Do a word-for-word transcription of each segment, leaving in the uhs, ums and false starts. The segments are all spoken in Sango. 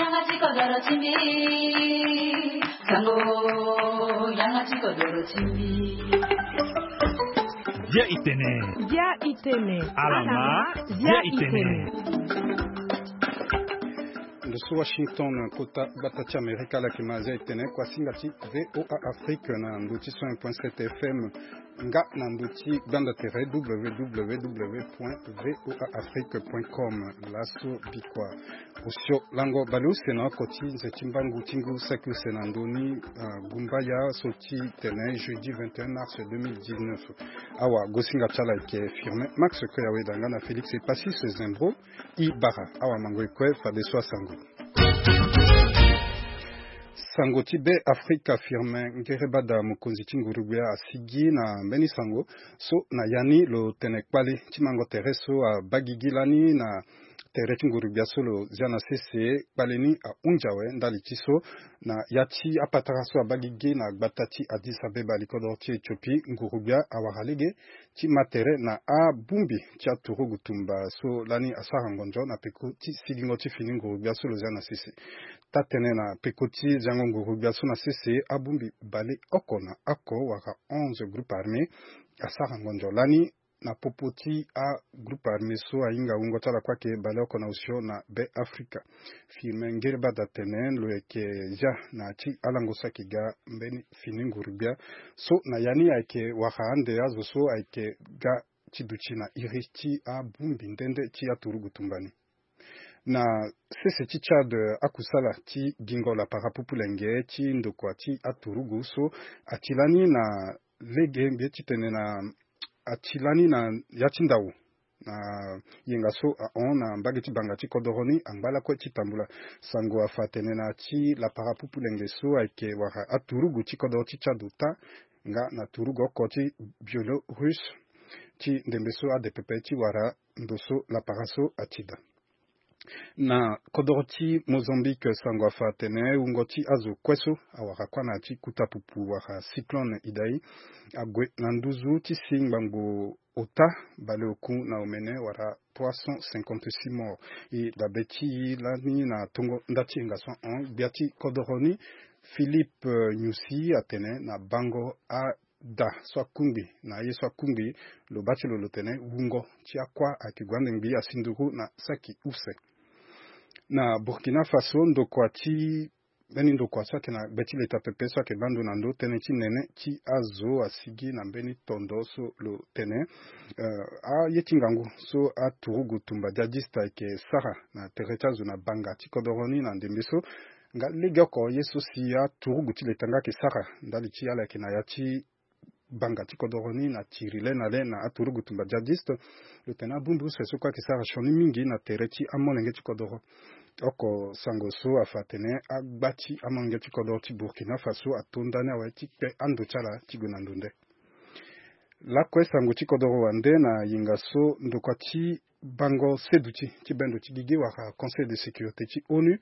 Yanga ti kodoro ti mbi. Sango, yanga ti kodoro ti mbi. Bia itene. Bia itene. Alama, bia itene. Ndo so Washington, kota gbata ti Amerika, ala yeke ma Azia itene, kuasinga ti V O A Afrique na ndo ti cent un point sept F M, nga na ndo ti gbanda tere W W W point V O A Afrique point com. Laso bikua osio lango baleuse na oko ti nze ti mbangu ti ngu saki use na ndö ni, ah, gumbaya so ti tene jeudi vingt et un mars deux mille dix-neuf. Awa gosinga ti ala ayeke Firmin Max Koyaweda nga na Félix Epassis Zembro. I bara awa mango e kue fadeso asango. Sango ti Be Afrika, Firmin Ngerebada, mokonzi ti nguru-gbia, asigi na mbeni sango so na ya ni lo tene kpale ti mango tere so abaa gigi lani na tere ti nguru-gbia so lo zia na sese. Kpale ni ahunzi awe ndali ti so na ya ti apatara so abaa gigi na gbata ti Addis Abeba, likodoro ti Éthiopie, nguru-gbia awara lege ti ma tere na abongbi ti aturugu tumba so lani asara ngonzo na peko ti sigingo ti fini nguru-gbia so lo zia na sese. Taa-tënë na peko ti ziango nguru-gbia so na sese, abongbi baleoko na oko wala onze groupe armé asara ngonzo lani na popo ti agroupe armé so ahinga wungo ti ala kue ayeke baleoko na osio na Be Afrika. Firmin Ngerebada atene lo yeke zia na ya ti alango so ayeke ga mbeni fini nguru-gbia so na ya ni ayeke wara ande azo so ayeke ga ti duti na iri ti abongbi nde nde ti aturugu tumba ni. Na sese ti Tchad, akusala ti gingo lapara pupulenge ti ndokua ti aturugu so ati lani na lege mbi ye ti tene na ati lani na ya ti ndau na yenga so ahon na mbage ti banga ti kodoro ni angba lakue ti tambula. Sango afa atene na ya ti lapara pupulenge so ayeke wara aturugu ti kodoro ti Tchad ota nga na turugu oko ti Biélorusse ti ndembe so ade pepe ti wara ndo so lapara so ati daa. Na kodoro ti Mozambique, sango afa atene wungo ti azo kue so awara kuâ na ya ti kuta pupu wala cyclone Idai ague na nduzu ti si ngbangbo ota baleoku na omene wala trois cent cinquante-six morts. E dabe ti e lani na tongo nda ti yenga so ahon, gbia ti kodoro ni Philippe, eh, Nyusi atene na bango a da so akungbi na aye so akungbi, lo baa ti lo lo tene wungo ti akuâ ayeke gue ande ngbii asi nduru na saki use. Na Burkina Faso, ndokua ti mbeni ndokua so ayeke na gbe ti leta pepe so ayeke baa ndo na ndo tënë ti nene ti azo asigi na mbeni tondo so lo tene, eh, aye ti ngangu so aturugu tumba djadiste ayeke sara na tere ti azo na banga ti kodoro ni na ndembe so nga legeoko ye so si aturugu ti leta nga ayeke sara ndali ti ala yeke na ya ti banga ti kodoro ni na tiri le na le na aturugu tumba djadiste. Lo tene abongbi use so kue ayeke sara sioni mingi na tere ti amolenge ti kodoro. Oko sango so afa atene agba ti amolenge ti kodoro ti Burkina Faso ato ndani awe ti kpe ando ti ala ti gue na ndo nde. Lakue sango ti kodoro wande na yenga so ndokua ti bango seduti ti bendo ti gigi wala Conseil de sécurité ti onu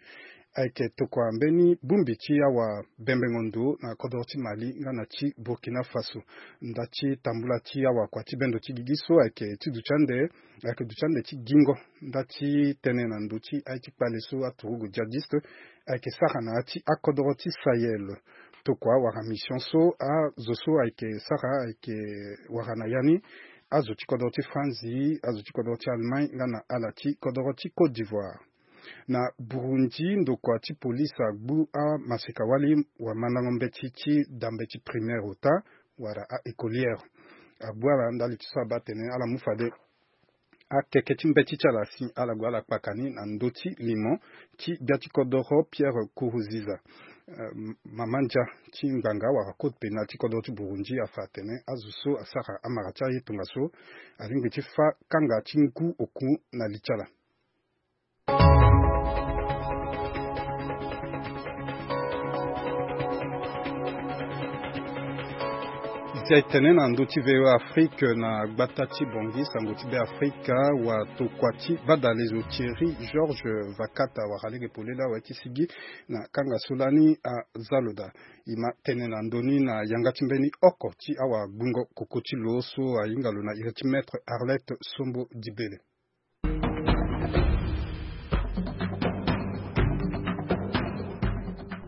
ayeke tokua mbeni bongbi ti awa bembengo ndo na kodoro ti Mali nga na ti Burkina Faso. Nda ti tambula ti awakua ti bendo ti gigi so ayeke ti duti ande, ayeke duti ande ti gingo nda ti tene na ndo ti aye ti kpale so aturugu djadiste ayeke sara na ya ti akodoro ti Sahel. Tokua wala mission so azo so ayeke sara ayeke wara na ya ni azo ti kodoro ti Franzi, azo ti kodoro ti Allemagne nga na ala ti kodoro ti Côte d'Ivoire. Na Burundi, ndokua ti polise agbu amaseka-wali wamandango mbeti ti da mbeti primaire ota wala a-écolière. Agbu ala ndali ti so abaa atene ala mu fade akeke ti mbeti ti ala si ala gue ala kpaka ni na ndö ti limo ti gbia ti kodoro Pierre Nkurunziza. Eh, mama ndia ti ngbanga wala code pénal ti kodoro ti Burundi afa atene azo so asara amara ti aye tongaso alingbi ti fâ kanga ti ngu oku na li ti ala. Zia e tene na ndö ti V O A Afrique na gbata ti Bangui, sango ti Be Afrika, watokua ti badalezo Thierry Georges Vakata wara lege polele awe ti sigi na kanga so lani aza lo daa. E ma tene na ndö ni na yanga ti mbeni oko ti awagbungo koko ti lo so ahinga lo na iri ti Maître Arlette Sombo Dibele.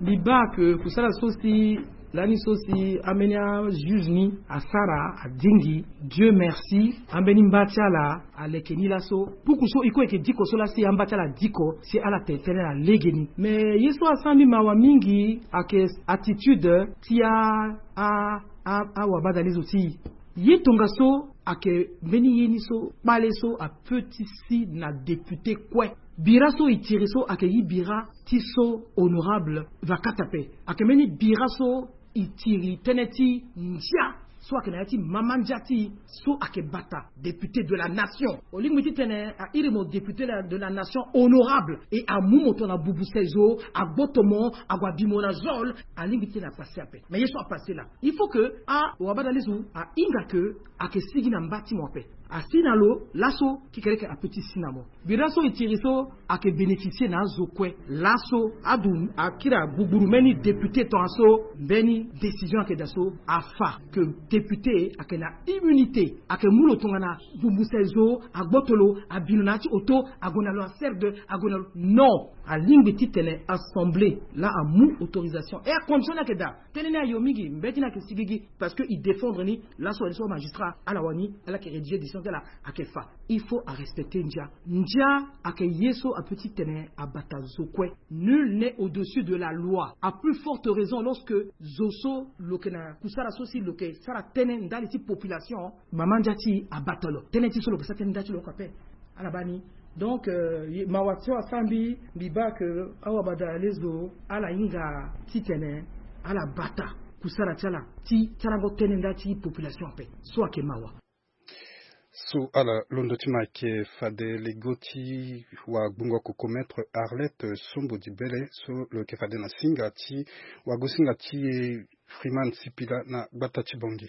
Mbi baa ke kusala so si lani so si ambeni ajuge ni asara adingi, Dieu merci, ambeni mba ti ala aleke ni laso. Puku so e kue e yeke diko so laa si amba ti ala adiko si ala tene tënë na legeni. Me ye so asara mbi mawa mingi ayeke attitude ti a a a awabadalezo ti e. Ye tongaso ayeke mbeni ye ni so kpale so ape ti si na député kue. Bira so e tiri so ayeke gi bira ti so honorable Vakata ape. Ayeke mbeni bira so e tiri tënë ti ndia so ayeke na ya ti mama ndia ti e so ayeke bata député de la nation. Olingbi titene airi mo député de la nation honorable, e amu mo tongana bubu seizo, agboto mo, ague abi mo na zol. Alingbi titene apasse ape. Mais ye so apasse laa, il faut que awabadalezo ahinga ke ayeke sigi na mba ti mo ape. Asi na lo laso, kekereke ape ti si na mo. Bira so e tiri so ayeke bénéficier na azo kue. Laso adu akiri agugburu mbeni député tongaso mbeni décision ayeke daa so afa ke député ayeke na immunité, ayeke mu lo tongana bubu seizo, agboto lo, abi lo na ya ti oto, ague na lo na serre de, ague na lo. Non. Alingbi titene assemblée laa amu autorisation. E acondition ni ayeke daa. Tënë ni ayo mingi, mbeti ni ayeke sigigi. Parce que e défendre ni laso wani so amagistrat ala wani ala yeke rédiger décision ti ala ayeke fa. Il faut arespecter ndia. Ndia ayeke ye so ape titene abata zo kue. Nul n'est au-dessus de la loi. À plus forte raison lorsque zo so lo yeke na kusala so si lo yeke sara tënë ndali ti population, mama ndia ti e abata lo. Tënë ti so lo yeke sara tënë ndia ti lo oko ape. Ala baa ni. Donc euh, ye- mawa so asara mbi, mbi baa ke awabadalezo ala hinga titene ala bata kusala ti ala ti sarango tënë nda ti population ape. So ayeke mawa. So ala londo ti ma ayeke fade lego ti wagbongo koko maître Arlette Sombo Dibele so lo yeke fade na singa ti wagosinga ti e Freeman Sipila na gbata ti Bangui.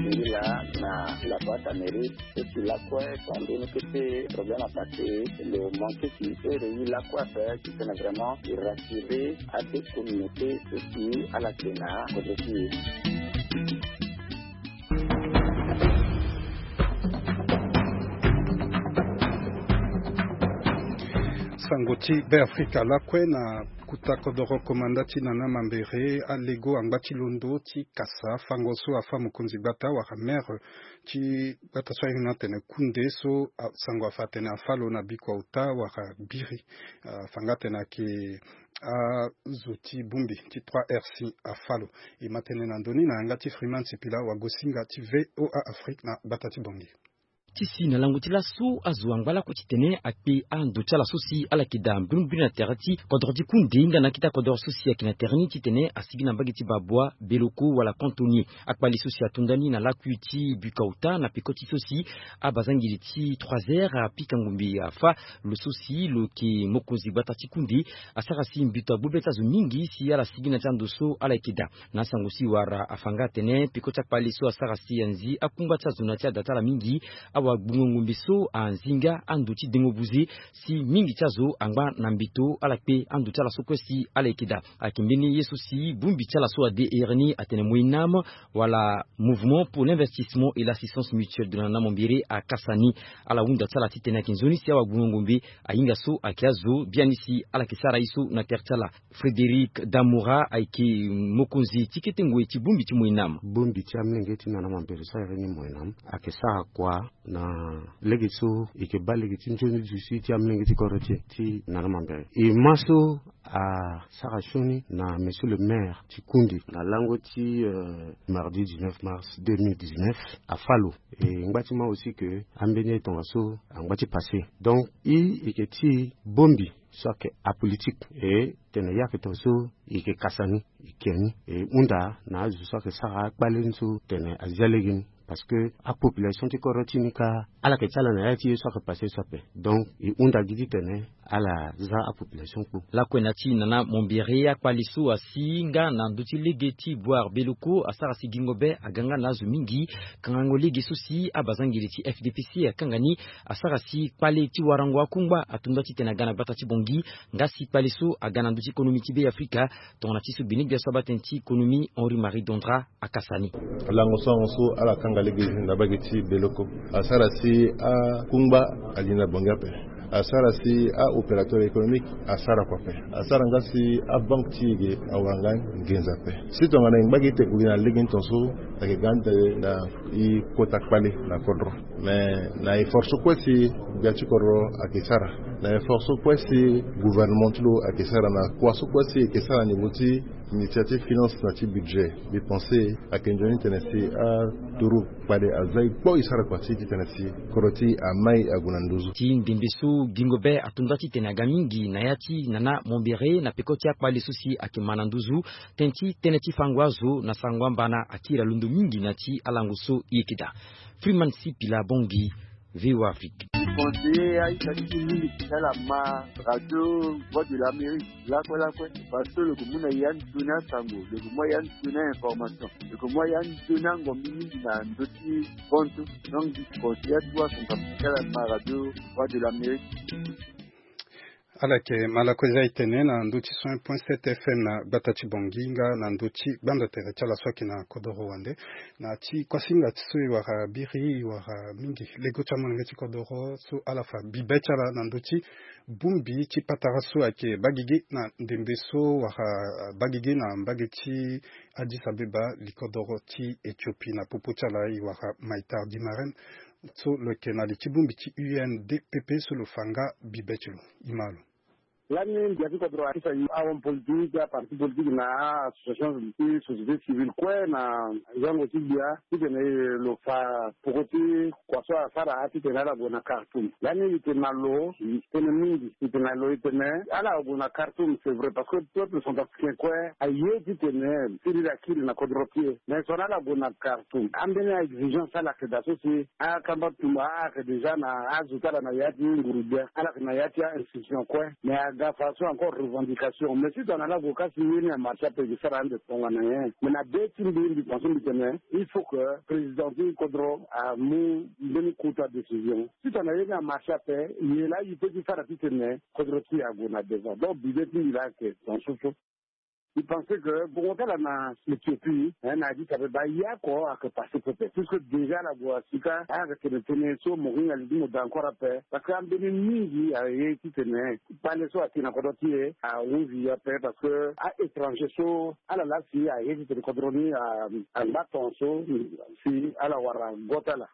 Singila na la boîte à mérite, et puis la quoi, quand on était problème à passer, le manque qui était réuni la quoi faire, qui était vraiment de rassurer à des communautés, et puis à la Sénat, au défi. Sango ti Beafrika lakue na kuta kodoro komanda ti Nana Mambere alego angba ti londo ti kasa fango so afa mokonzi gbata wala maire ti gbata so ahinga atene Kunde so sango afa atene afa lo na bikua ota wala biri. Afa nga atene ayeke azo ti bongbi ti trois R C afa lo. E ma tene na ndoni na yanga ti Freeman Sipila wagosinga ti V O A Afrique na gbata ti Bangui. Ti si na lango ti laso azo angba lakue titene akpe ando ti ala so si ala yeke daa mbirimbiri na tere ti kodro ti Kunde nga na akita kodro so si ayeke na tere ni titene asigi na mbage ti Babua, Beloko wala Kantonie. Akpali so si atonda ni na lakui ti bikua ota na peko ti so si abazangeli ti trois heures apika ngombe afa lo so si lo yeke mokonzi gbata ti Kunde asara si mbi to agbu be ti azo mingi si ala sigi na ti ando so ala yeke daa. Na asango si wara afa nga atene peko ti akpali so asara si anzi akungba ti azo na ti ada ti ala mingi. Awagbongo ngombe so anzi nga ando ti dengo buze si mingi ti azo angba na mbeto ala kpe ando ti ala so kue si ala yeke daa. Ayeke mbeni ye so si bongbi ti ala so ade here ni atene MOINAM wala Mouvement pour l'investissement et l'assistance mutuelle de Nana Mambere akasa ni. Ala hunda ti ala titene ayeke nzoni si awagbongo ngombe ahinga so ayeke azo biani si ala yeke sara ye so na tere ti ala. Frédéric Damoura ayeke mokonzi ti kete ngoi ti bongbi ti MOINAM. Bongbi ti amolenge ti Nana Mambere so ahiri ni MOINAM ayeke sara kua na lege so e yeke baa lege ti nzoni duti ti amolenge ti kodro ti e ti Nana Mambere. E ma so asara sioni na monsieur le maire ti Kunde na lango ti euh, mardi dix-neuf mars deux mille dix-neuf afa lo. E ngba ti ma aussi ke ambeni ye tongaso angba ti passé. Donc e yeke ti bongbi so ayeke apolitique e tene ye ayeke tongaso e yeke kasa ni, e kia ni, e hunda na azo so ayeke sara akpale ni so tene azia lege ni. Parce que apopulation ti kodro ti ni kâ ala yeke ti ala na ya ti ye so ayeke passé so ape. Donc e hunda gi titene ala za apopulation kpo. Lakue na ti Nana Mambere akpali so asi nga na ndö ti lege ti Boire Beloko asara si gingo be aga nga na azo mingi. Kangango lege so si abazangeli ti F D P C akanga ni asara si kpale ti warango akungba atonda titene aga na gbata ti Bangui. Nga si kpale so aga na ndö ti économie ti Beafrika tongana ti so gbene gbia so abaa tënë ti économie Henri Marie Dondra akasa ni. Lango so ala kanga lege na mbage ti Beloko asara si akungba ali na Bangui ape. Asara si a-opérateur économique asara kua ape. Asara nga si abanque ti e ge awara nga nginza ape. Si tongana e ngba gi te gue gi na lege ni tongaso, ayeke ga ni tene na e kota kpale na kodro. Mais na effort so kue si gbia ti kodro ayeke sara, na effort so kue si gouvernement ti lo ayeke sara, na kua so kue si e yeke sara na niveau ti initiative finance na ti budget, mbi pense ayeke nzoni tene si aturu kpale aza e kpo e sara kua ti e titene si kodro ti e amai ague na nduzu. Ti ndembe so gingo be ato nda titene aga mingi na ya ti nana mombere na peko ti akpale so si ayeke ma na nduzu, tënë ti tënë ti fango azo na sango amba na akiri alondo mingi na ti alango so e yeke daa. Freeman Sipila Bongi, V O A Afrique. Conseiller aita ti mingi ti ala ma radio Voix de l'Amérique lakue lakue, parce que lo yeke mu na ya ndoni asango, lo yeke mu ya ndoni information, lo yeke mu ya ndoni angombi mingi na ndö ti konto. Donc, conseiller atuwa son capital ma radio Voix de l'Amérique. Ala yeke ma lakue za e tene na ndö ti cent point sept F M na gbata ti Bongi nga na ndö ti gbanda tere ti ala so ayeke na kodoro wande. Na ti kuasinga ti so e wara biri, e wara mingi lego ti amolenge ti kodoro so ala fa bibe ti ala na ndö ti bongbi ti patara so ayeke baa gigi na ndembe so wara baa gigi na mbage ti Addis Abeba, likodoro ti Éthiopie. Na popo ti ala e wara Maitar Dimarem so lo yeke na li ti bongbi ti U N D P P so lo fa nga bibe ti lo. E ma lo. Lani gbia ti kodro akisa ahomme politique, aparti politique na a-association ti société civile kue na zango ti gbia titene lo fa poko ti kua so asara titene ala gue na Khartoum. Lani e yeke na lo tënë mingi, e yeke na lo e tene ala gue na Khartoum, c'est vrai, parce que peuple centrafricain kue aye titene siriri akiri na kodro ti e. Mais so na ala gue na Khartoum, ambeni a-exigence ala yeke daa so si akamba tumba ayeke déjà na azo ti ala na ya ti nguru gbia, ala yeke na ya ti a-institution kue. Mais aga façon encore revendication. Mais si tongana ala gue ka si ye ni amarche ape, e ke sara ande tongana nyen? Mais na be ti mbi, mbi pense mbi tene il faut que président ti kodro amu mbeni kota décision. Si tongana ye ni amarche ape, ye laa e peut ti sara titene kodro ti e ague na devant. Donc bibe ti mbi laa ayeke dans ce sens. Mbi pense que bongo ti ala na Éthiopie, eh, na Addis Abeba, ye oko ayeke passé pepe. Puisque déjà ala gue asika, ayeke tene tënë so mo hinga li ti mo daa encore ape. Parce que ambeni mingi aye titene kpale so akiri na kodro ti e ahunzi e ape. Parce que a-étranger so ala laa si aye titene kodro ni a, angba tongaso si ala wara go ti ala.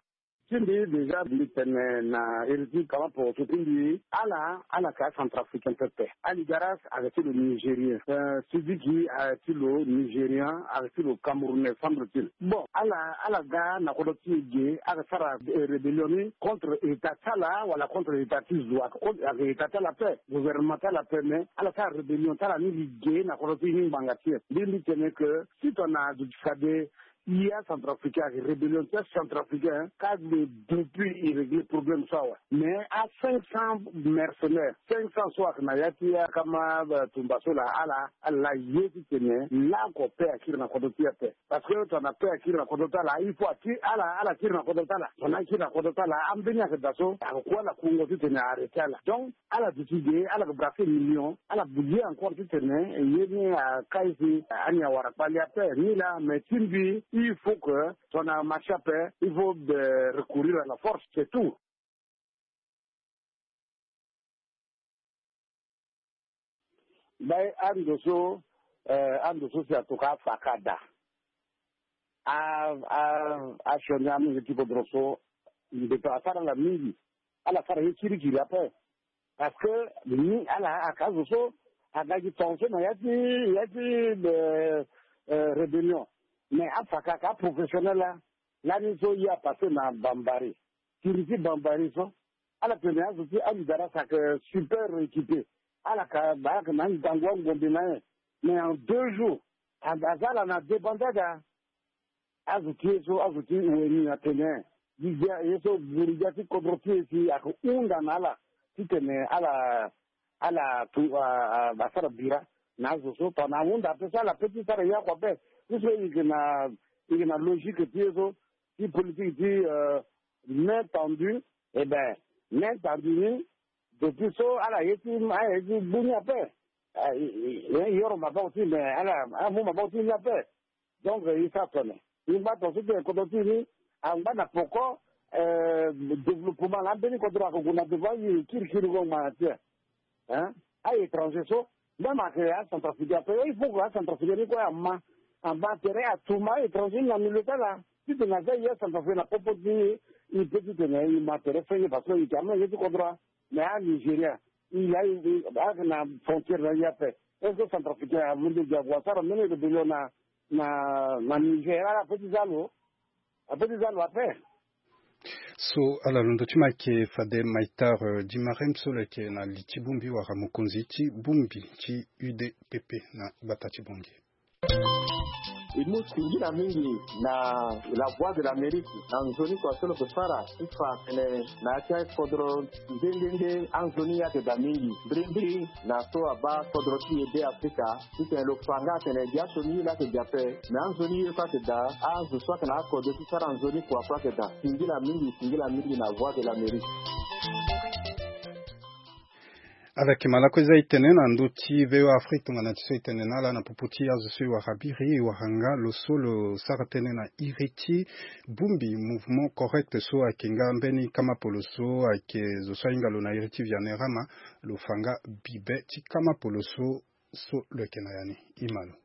Ti mbi déjà mbi tene na iri ti kama poroso ti mbi, ala, ala yeke acentrafricain pepe. Ali Garas ayeke ti lo nigérien. Euh, Sidiki ayeke ti lo nigérien, ayeke ti lo camerounais, semble-t-il. Bon, ala, ala ga na kodro ti e ge, ayeke sara, eh, rébellion ni contre état ti ala wala contre état ti zo, ayeke contre, ayeke état ti ala ape, gouvernement ti ala ape, mais ala sara rébellion ti ala ni li ge na kodro ti e ni ngbanga ti e. Mbi, mbi tene que si tongana azo ti fade, i acentrafricain ayeke rébellion ti acentrafricain, ka gbe depuis e régler problème so awe. Mais a cinq cents mercenaires, cinq cents so ayeke na ya ti akama, eh, tumba so laa, ala, ala laa ye titene laoko paix akiri na kodro ti e ape. Parce que tongana paix akiri na kodro ti ala, il faut akiri, ala, ala kiri na kodro ti ala. Tongana akiri na kodro ti ala, ambeni ayeke daa so ayeke ku ala kungo titene a arrêter ala. Donc, ala duti ge, ala yeke brasser million, ala yeke ye encore titene ye ni akai si ani awara kpale ape ni laa. Mais ti mbi, il faut que tongana amarche ape, il faut, euh, recourir à la force, c'est tout. Baa ando so, eh, ando so si atoka afa ka daa. A, a, asioni amolenge ti kodro so, mbeto asara ala mingi. Ala sara ye kirikiri ape. Parce que ni ala ayeke azo so aga gi tongaso na ya ti, ya ti, eh, eh, rébellion. Mais afa ka, ka professionnel laa. Lani so ye apasser na Bambari. Kiri ti Bambari so, ala tene azo ti Ali Garas ayeke super équipé. Ala ka, ba ayeke na ngangu angombe na ye. Mais en deux jours, a, aza ala na débandade. Azo ti e so, azo ti weni atene, gi gbia ye so, guru gbia ti kodro ti e si ayeke hunda na ala titene ala, ala tu, a, a, asara bira na azo so. Tongana ahunda ape so, ala peut ti sara ye oko ape. Puisque e yeke na, e yeke na logique ti e so, ti politique ti, euh, main tendue. Eh ben, main tendue ni, depuis so ala ye ti, ala ye ti gbu ni ape. Ah, e, e, e, e yoro maboko ti e, mais ala, ala mu maboko ti e ni ape. Donc, e sara tene. E ngba tongaso ti kodro ti e ni, angba na poko, Développement na ambeni kodro ako gue na devant, aye kirikiri ngo ma na ti e. Hein? Aye étranger so, même ake acentrafricain ape, il faut que acentrafricain ni kue ama, ama tere atuma étranger ni na milieu ti ala. Titene aza ye acentrafricain na popo ti e, e pe titene e ma tere fenge parce que e yeke amolenge ti kodro. Mais anigeria, e ya e ake na frontière na e ape. Est-ce que centrafricain alondo gi ague asara mbeni rébellion na, na, na Niger? Ala pe ti za lo. Ape ti za lo ape. So ala londo ti ma ayeke fade Maitar Dimarem so lo yeke na li ti bongbi wala mokonzi ti bongbi ti U D P P na gbata ti Bangui. E mu singila mingi na La Voix de l'Amérique na nzoni kua so lo yeke sara ti fa atene na ya ti akodro nde nde nde anzoni ye ayeke daa mingi mbirimbiri na so abaa kodro ti e Be Afrika. Titene lo fa nga atene gi aso ni ye laa ayeke gi ape. Me anzoni ye kue ayeke daa, azo so ayeke na akodro ti sara nzoni kua kue ayeke daa. Singila mingi, singila mingi na Voix de l'Amérique. Ala yeke malako eza e tene na ndö ti V O A Afrique tongana ti so e tene na ala na popo ti azo so e wara biri, e wara nga lo so lo sara tënë na iri ti bongbi mouvement correct so ayeke nga mbeni kama polo so ayeke zo so ahinga lo na iri ti Vianney Rama, lo fa nga bibe ti kama polo so, so lo yeke na ya ni. E ma lo.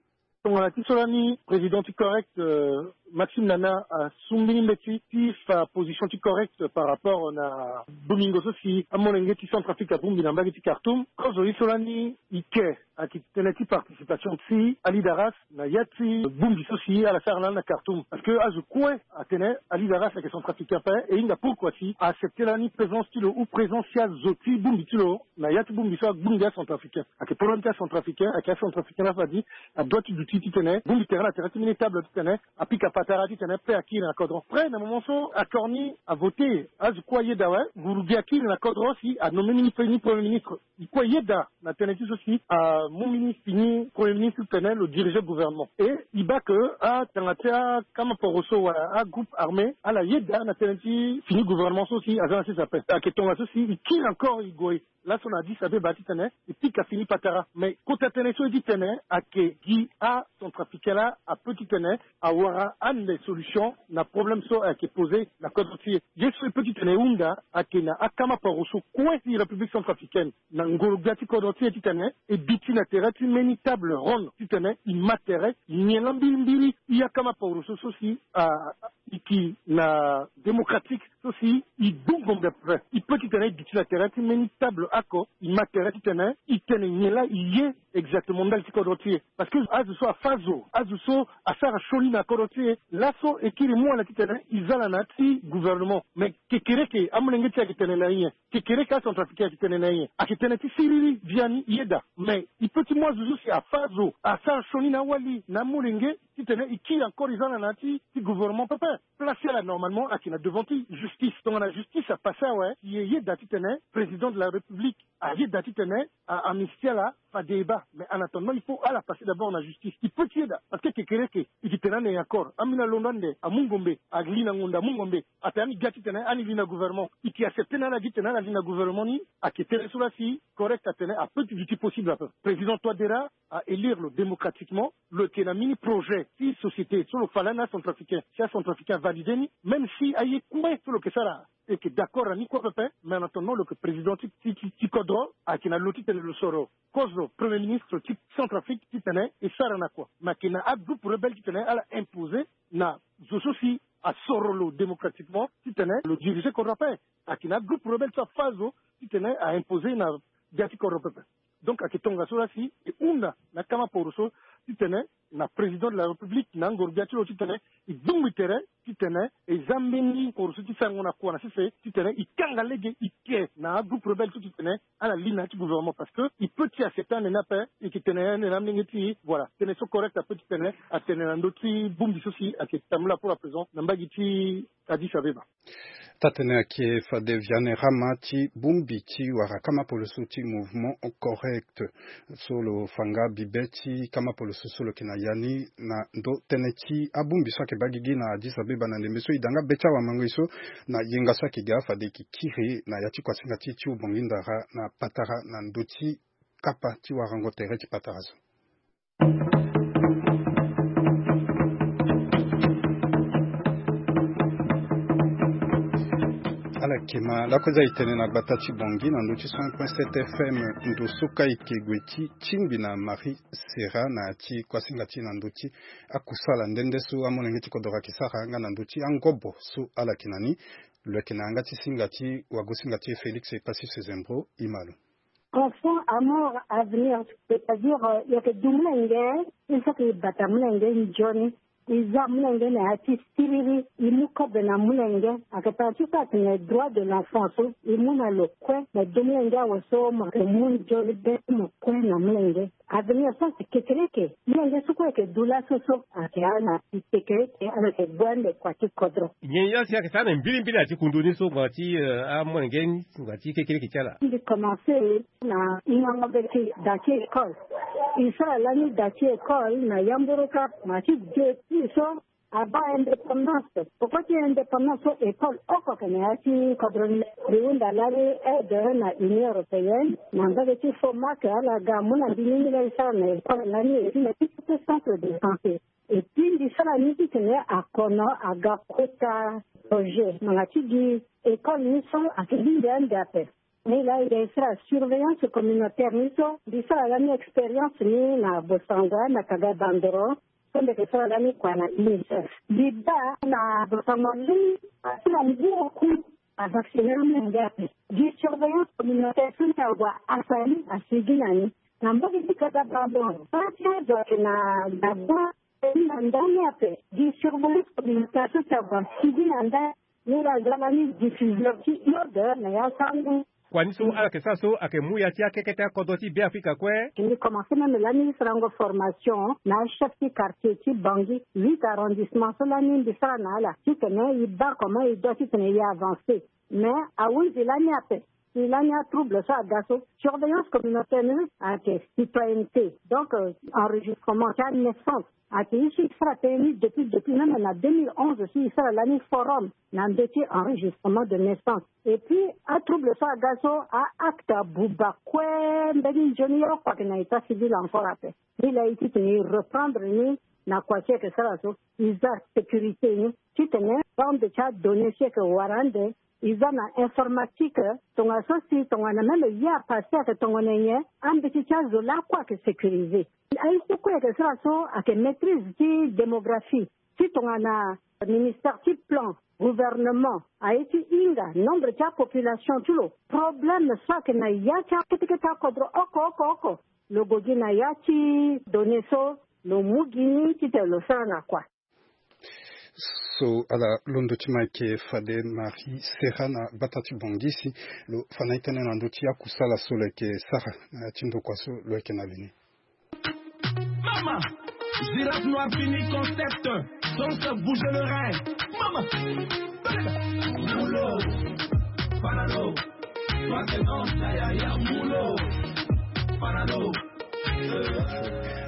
Tongana ti so lani président ti correct, euh, Maxime Nana asu mbeni mbeti ti fa position ti correct par rapport na bomingo so si amolenge ti Centrafrique abongbi na mbage ti Khartoum. Kozo ye so lani e ke ayeke tënë ti participation ti alidaras na ya ti bongbi so si ala sara lani na Khartoum. Parce que azo kue atene alidaras ayeke centrafricain ape, e hinga pourquoi si a accepté lani présence ti lo ou présence ti azo ti bongbi ti lo na ya ti bongbi so agbongbi acentrafricain. Ayeke problème ti acentrafricain, ayeke acentrafricain laa fade adoit ti duti titene bongbi tere na tere ti mbeni table titene apika patara titene paix akiri na kodro. Après na moment so accord ni avoté, azo kue ayeda awe, ngurugi akiri na kodro si anommé ni, ni premier ministre. E kue ayeda na tënë ti so si amu mbeni fini premier ministre titene lo dirige gouvernement. Et e baa ke atanga ti akama poro so wala agroupe armé ala yeda na tënë ti fini gouvernement so si aza na sese ape. Ayeke tongaso si e kiri encore e gue laso na Addis Abeba titene e pika fini patara. Mais kota tënë so ye titene ayeke gi acentrafricain laa apeut titene awara ande solution na problème so ayeke posé na kodro ti e. Ye so e peut titene e hunda ayeke na akama paro so kue ti République centrafricaine na ngoro gbia ti kodro ti e titene e duti na tere ti mbeni table ronde titene e ma tere, e nyen laa mbirimbiri e akama paro so so si a, e yeke na démocratique so si e du ngombe pepe. E peut titene e duti na tere ti mbeni table oko e ma tere titene e tene nyen laa e ye exactement ndali ti kodro ti e. Parce que azo so afa zo, azo so asara sioni na kodro ti e, laso e kiri mu ala titene e za ala na ya ti gouvernement. Mais kekereke amolenge ti e ayeke tene na e nyen? Kekereke acentrafricain ayeke tene na e nyen? Ayeke tene ti siriri, biani, yeda. Mais e peut ti mu azo so si afa zo, asara sioni na awali na amolenge titene e kiri encore e za ala na ya ti, ti gouvernement pepe. Place ti ala normalement ayeke na devant ti justice. Tongana justice apassé awe, si e yeda titene président de la République ayeda titene a amnistie ala, fade e baa. Mais en attendant il faut ala passer d'abord na justice. E peut ti yeda parce que kekereke e yeke tene ande nyen encore? Ambeni alondo ande amu ngombe, ali na ngonda amu ngombe. Atene ani ga titene ani li na gouvernement. E yeke accepté na ala gi titene ala li na gouvernement ni? Ayeke tënë so laa si correct atene apeut ti duti possible ape. Président Touadéra a élire lo démocratiquement, lo yeke na mbeni projet ti société so lo fa lani acentrafricain, si acentrafricain avalidé ni, même si aye kue so lo yeke sara e yeke d'accord na ni kue pepe. Mais en attendant lo yeke président ti, ti, ti, ti kodro, ayeke na lo titene lo soro kozo premier ministre ti Centrafrique titene e sara na kua. Mais ayeke na agroupe rebelle titene ala imposé na zo so si asoro lo démocratiquement titene lo dirige kodro ape. Ayeke na agroupe rebelle so afa zo titene a imposé na gbia ti kodro pepe. Donc ayeke tongaso laa si e hunda na akama poro so titene na président de la République na angoro gbia ti lo titene e dungbi tere titene e za mbeni poro so ti sarango na kua na sese titene e kanga lege e ke na agroupe rebelle so titene ala li na ya ti gouvernement. Parce que e peut ti accepté ande ni ape. E yeke tene ande na amolenge ti e. Voilà, tënë so correct apeut titene atene na ndö ti bongbi so si ayeke tambula pour à présent na mbage ti Addis Abeba. Taa-tënë ayeke fade Vianney Rama ti bongbi ti wara kama polo so ti mouvement correct so lo fa nga bibe ti kama polo so so lo yeke na ya ni na ndö tënë ti abongbi so ayeke baa gigi na Addis Abeba na ndembe so e da nga be ti awamango e so na yenga so ayeke ga fade e yeke kiri na ya ti kuasinga ti e ti Ubangui Ndara na patara na ndö ti kapa ti warango tere ti patara so. Akema lako eza etene na gbata ti Bangui na ndö ti cent point sept F M. Ndo so ka eke gue ti tingbi na Marie Serra na ya ti kuasinga ti na ndö ti akusala nde nde so amolenge ti kodoro ayeke sara nga na ndö ti angobo so ala yeke na ni. Lo yeke na yanga ti singa ti wagosinga ti e Félix Passif Sezembro. Ima lo. Enfant, amour, avenir, c'est-à-dire, euh, yeke du molenge, il faut que e bata molenge nzoni. E za molenge na ya ti siriri, e mu kobe na molenge. Ayeke tara ti so atene droit de l'enfant so e mu na lo kue, me du molenge awe so mo yeke mu nzoni be ti mo kue na molenge. Avenir so ayeke kekereke. Molenge so kue ayeke du laso so ayeke ala na ti kekereke, ala yeke gue ande kua ti kodro. Nyen ya si ayeke sara na mbirimbiri na ya ti kundu ni so ngbanga ti, eh, amolenge ni ngbanga ti kekereke ti ala? Mbi commencé na hingango be ti da ti école. E sara lani da ti école na yamburu kâ, ma ti depuis so abaa indépendance. Poko ti indépendance so école oko ayeke na ya ti kodro ni. Mbi hunda lani aide na Union européenne na mbage ti Fomac, ala ga amu na mbi ni, mbi laa e sara na école lani, e ti na ti centre de santé. Et puis mbi sara ni titene akono aga kota projet ngbanga ti gi école ni so ayeke lingbi ande ape. Ni laa e ga e sara surveillance communautaire ni so, mbi sara lani expérience ni na Bossangoa na Kaga Bandoro, so mbi yeke sara lani kua na UNICEF. Mbi baa na Bossangoa lani, ti na ngu oku avacciner amolenge ape. Gi surveillance communautaire so ni ague asara ni, asigi na ni. Na mbage ti Kaga Bandoro, parti azo ayeke na, na gba, e na ndani ape. Gi surveillance communautaire so si ague asigi na ndani. Ni laa aza lani diffuseur ti iode na ya sango. Kua ni so ala yeke sara so ayeke mu ya ti akekete akodro ti Beafrika kue. Mbi commencé même lani sarango formation na achef ti quartier ti Bangui, huit arrondissement so lani mbi sara na ala titene e baa comment e doit titene e avancer. Mais ahunzi lani ape, si lani atrouble so aga so, surveillance communautaire ni ayeke citoyenneté. Donc, euh, enregistrement ti anaissance. Ayeke ye so e sara tënë ni depuis, depuis même na deux mille onze so e sara lani forum na ndö ti enregistrement de naissance. Et puis atrouble so aga so, a-acte abuba kue mbeni nzoni, ye oko ayeke na état civil encore ape. Ni laa e titene e reprendre ni na kua ti e yeke sara so, e za sécurité ni titene bande ti adonnée so e yeke wara ande, e za na informatique, tongana so si tongana même ye apassé ayeke tongana nyen, ambeti ti azo lakue ayeke sécurisé. Aye so kue ayeke sara so ayeke maîtrise ti démographie, ti tongana ministère ti plan, gouvernement, aye ti hinga nombre ti apopulation ti lo. Problème so ayeke na ya ti akete kete akodro oko oko oko, lo gue gi na ya ti donnée so, lo mu gi ni titene lo sara na kua. So ala londo ti ma yeke fade Marie Serra na gbata ti Bangui si lo fa na e tënë na ndö ti akusala so lo yeke sara na ya ti ndokua so lo yeke na li ni. Mama, girafe noir fini concept, donc bouger le rein. Mama, moulo, panalo, toi c'est dans ta yaya, moulo, panalo.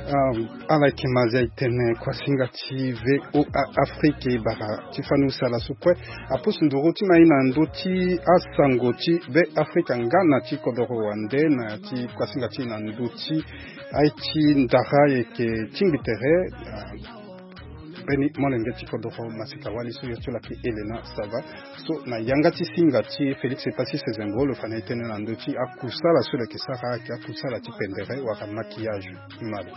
Ah, ala yeke ma zia e tene kuasinga ti V O A Afrique e bara ti fani usala so kue apusu nduru ti ma e na ndö ti asango ti Be Afrika nga na ti kodoro wande na ti kuasinga ti e na ndö ti aye ti ndara e yeke tingbi tere. Ah, mbeni molenge ti kodoro masika wali so yo ti lo ayeke Elena Sava, so na yanga ti singa ti Félix Passif Sezembro lo fa na e tënë na ndö ti akusala so lo yeke sara ayeke akusala ti pendere wala maquillage. Malo.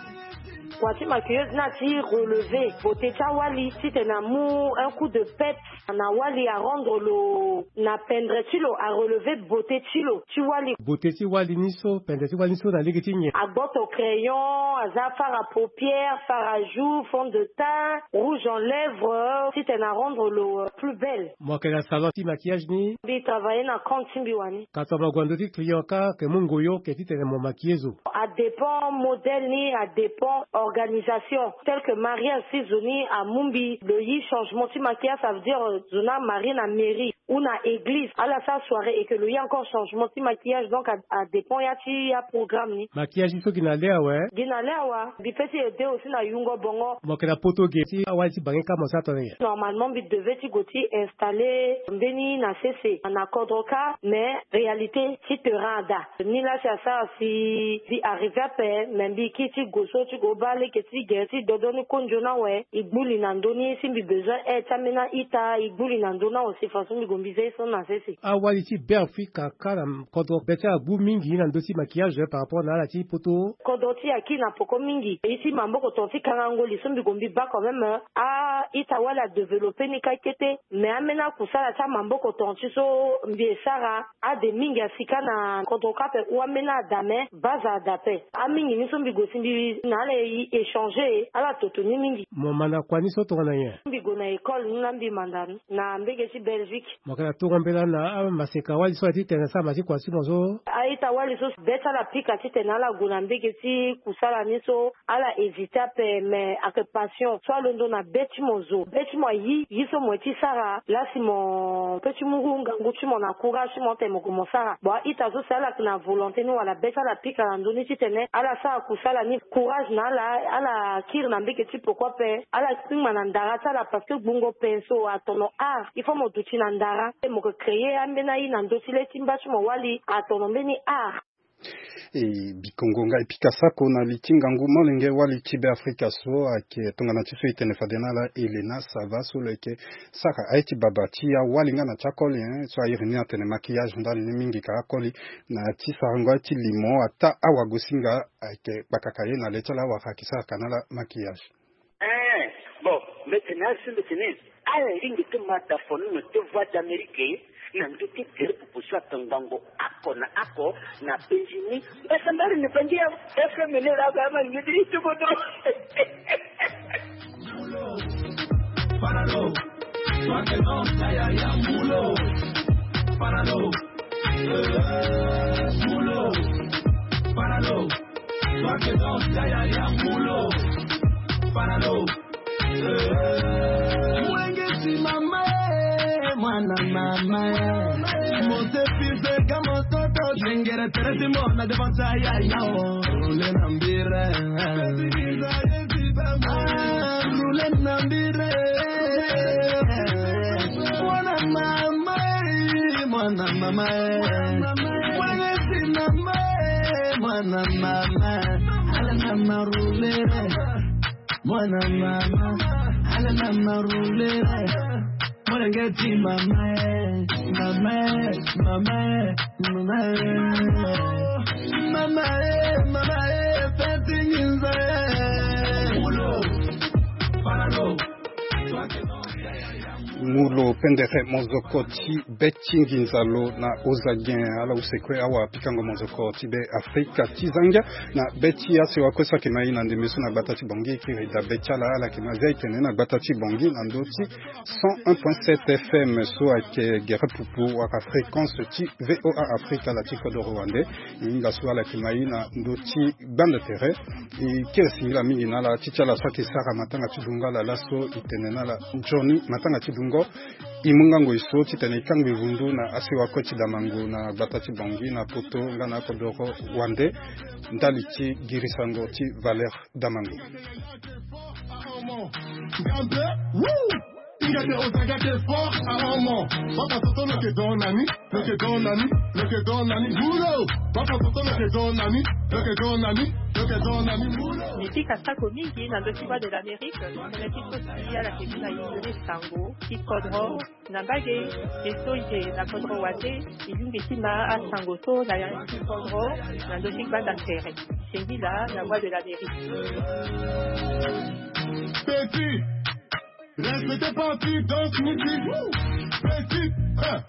Kua ti maquilleuse ni ati relever beauté ti awali titene amu un coup de pep na wali, arendre lo na pendre ti lo, arelever beauté ti lo ti wali. Beauté ti wali ni so, pendre ti wali ni so na lege ti nyen? Agboto crayon, aza fard à paupières, fard à joues, fond de teint, rouge en lèvres, titene arendre lo, euh, plus belle. Mo yeke na salon ti maquillage ni? Mbi travailler na compte ti mbi wani. Ka tongana mo gue na ndö ti client ka, ke mu ngoyo ke titene mo maquiller zo? Adépend modèle ni, adépend organisation. Tel que mariage, si zo ni amu mbi lo yi changement ti maquillage, ça veut dire, euh, zo ni amarie na mairie ou na église, ala sara soirée et que lo yi encore changement ti maquillage, donc a, adépend ya ti aprogramme ni. Maquillage ni so gi na le awe? Gi na le awe. Mbi peut ti aider aussi na yungo bongo. Mo yeke na poto ge ti awali ti bange ka mo sara tongana nyen? Normalement mbi devait ti gue ti installer mbeni na sese na kodro ka, mais réalité ti terrain ada. Ni laa si asara si mbi arriver ape, mais mbi kiri ti gue so ti gue baa Leke ti gere ti dodo ni konjo ni awe, e gbu li na ndö ni si mbi besoin aide ti ambeni a-ita, e gbu li na ndö ni awe si façon mbi gue mbi zia ye so na sese. Awali ti Beafrika ka na kodro be ti ala gbu mingi na ndö ti maquillage par rapport na ala ti poto. Kodro ti e akiri na poko mingi. Ye ti maboko tonga ti kangango li so mbi gue mbi baa quand même, a-ita wali adéveloppé ni kâ kete. Mais ambeni akusala ti amaboko tonga ti so mbi e sara, ade mingi asi kâ na kodro kâ ape, ou ambeni ada, mais base ada ape. Amingi ni so mbi gue si mbi na ala e échanger, ala toto ni mingi. Mo manda kua ni so tongana nyen? Mbi gue na école ni laa mbi manda ni na mbege ti Belgique. Mo yeke na tongo mbela na amaseka wali so aye ti tene asara ma ti kua ti mo so? A-ita wali so be ti ala pika titene ala gue na mbege ti kusala ni so, ala hésité ape, mais ayeke passion so alondo na be ti mo zo, be ti mo ayi ye so mo ye ti sara laa si mo peut ti mu ngangu ti mo na courage ti mo titene mo gue mo sara. Bon, a-ita so si ala yeke na volonté ni wala be ti ala pika na ndö ni titene ala sara kusala ni, courage na ala, ala kiri na mbege ti poko ape, ala kpingba na ndara ti ala parce que gbungo pinceau atono art, il faut mo duti na ndara. Mo yeke créer ambeni aye na ndö ti le ti mba ti mo wali atono mbeni art. E, bikongo nga e pika sako na li ti ngangu molenge wali ti Beafrika so ayeke tongana ti so e tene fade na ala Elena Sava so lo yeke sara aye ti baba ti awali nga na ti akoli, hein, so a iri ni atene maquillage ndali ni mingi ka akoli na ti sarango aye ti limo, ataa awagosinga ayeke kpakaka ye na le ti ala awara ayeke sara ka na ala maquillage. Eh, bon, mbi tene asi mbi tene, ala lingbi ti ma da fono na ti Voix d'Amérique na ndö ti gere pupu so ayeke ngangu oko na oko na penzi ni. Mbasambala ni bangi ya F M ni la ba ma ngidi ti kodro. Panado, toi que danse, ya, ya, ya, mulo. Panado, eh, mulo. Panado, toi que danse, ya, ya, ya, mulo. Panado, eh. Mwenge ti mama, eh, mwana mama, eh. Mosepi zeka mototo, yengere tere ti mona devant ya, ya, ya, oh. Roule na mbire, eh. Ah, roule na mbire. Mwana mama, eh, mwana mama, eh. Mwana si mama, eh, mwana mama. Ala na marule. Mwana mama, ala na marule. Mwana ngeti mama, eh, mama, eh, mama, eh. Mama, eh, mama, eh, feti nginza, eh. Mulo, panado. Mulo pendere mozoko ti be ti nginza lo na Ozagen, ala use kue awa pikango mozoko ti be Afrika ti zangia na be ti asewa kue so ayeke ma e na ndembe so na gbata ti Bangui, e kiri dabe ti ala, ala yeke ma zia e tene na gbata ti Bangui na ndö ti cent un point sept F M so ayeke gere pupu wala fréquence ti V O A Afrique, ala ti kodoro wande. E hinga so ala yeke ma e na ndö ti gbanda tere. E kiri singila mingi na ala ti ti ala so ayeke sara matanga ti dungo ala laso, e tene na ala nzoni matanga ti dungo. E mu ngango e so titene e kangbi vundu na asewa kue ti damango na gbata ti Bangui na poto nga na akodoro wande ndali ti girisango ti Valère Damango. Gambe, woo! Ingete ozagate fort à homo. Papa Toto lo ke don nani, lo ke don nani, lo ke don nani, mulo. Papa Toto lo ke don nani, lo ke don nani, lo ke don nani, mulo. Mbi pika sako mingi na ndö ti Voix de l'Amérique, tënë ti so si ala yeke mu na e ndö ni sango ti kodro na mbage, e so e yeke na kodro wande, e lingbi ti ma asango so na ya ti kodro na ndö ti gbanda tere. Singila na Voix de l'Amérique. Petit, respectez pas ti danse musique. Petit, eh,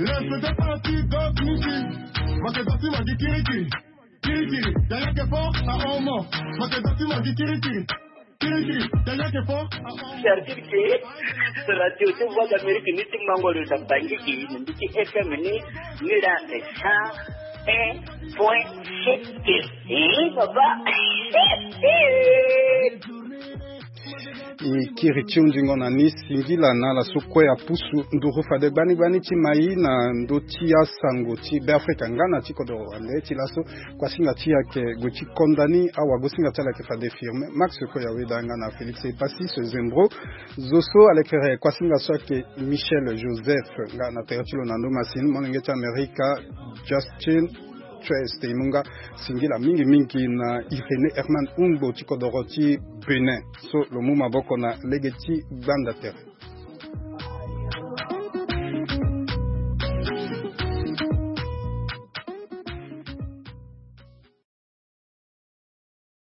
respectez pas ti danse musique. Makedati magi kirikiri. Kirikiri, yaya ke fort à homo. Makedati magi kirikiri. Kirikiri, yaya ke fort à homo. C'est-à-dire que radio ti Voix d'Amérique ni ti mango lo na Bangui, na mbi ti F M ni, ni la cent un point sept. Eh, papa. E kiri ti hundingo na ni, singila na ala so kue apusu nduru fade gbani gbani ti ma e na ndö ti asango ti Beafrika nga na ti kodoro wande. Ti laso kuasinga ti e ayeke gue ti konda ni, awagosinga ti ala ayeke fade Firmin Max Koyaweda nga na Félix Epassis Zembro. Zo so alekere kuasinga so ayeke Michel Joseph nga na tere ti lo na ndo masini, molenge ti Amerika Justin Choeste e mu nga singila mingi mingi na Irénée Herman Hungbo ti kodoro ti Bénin so lo mu maboko na lege ti gbanda tere.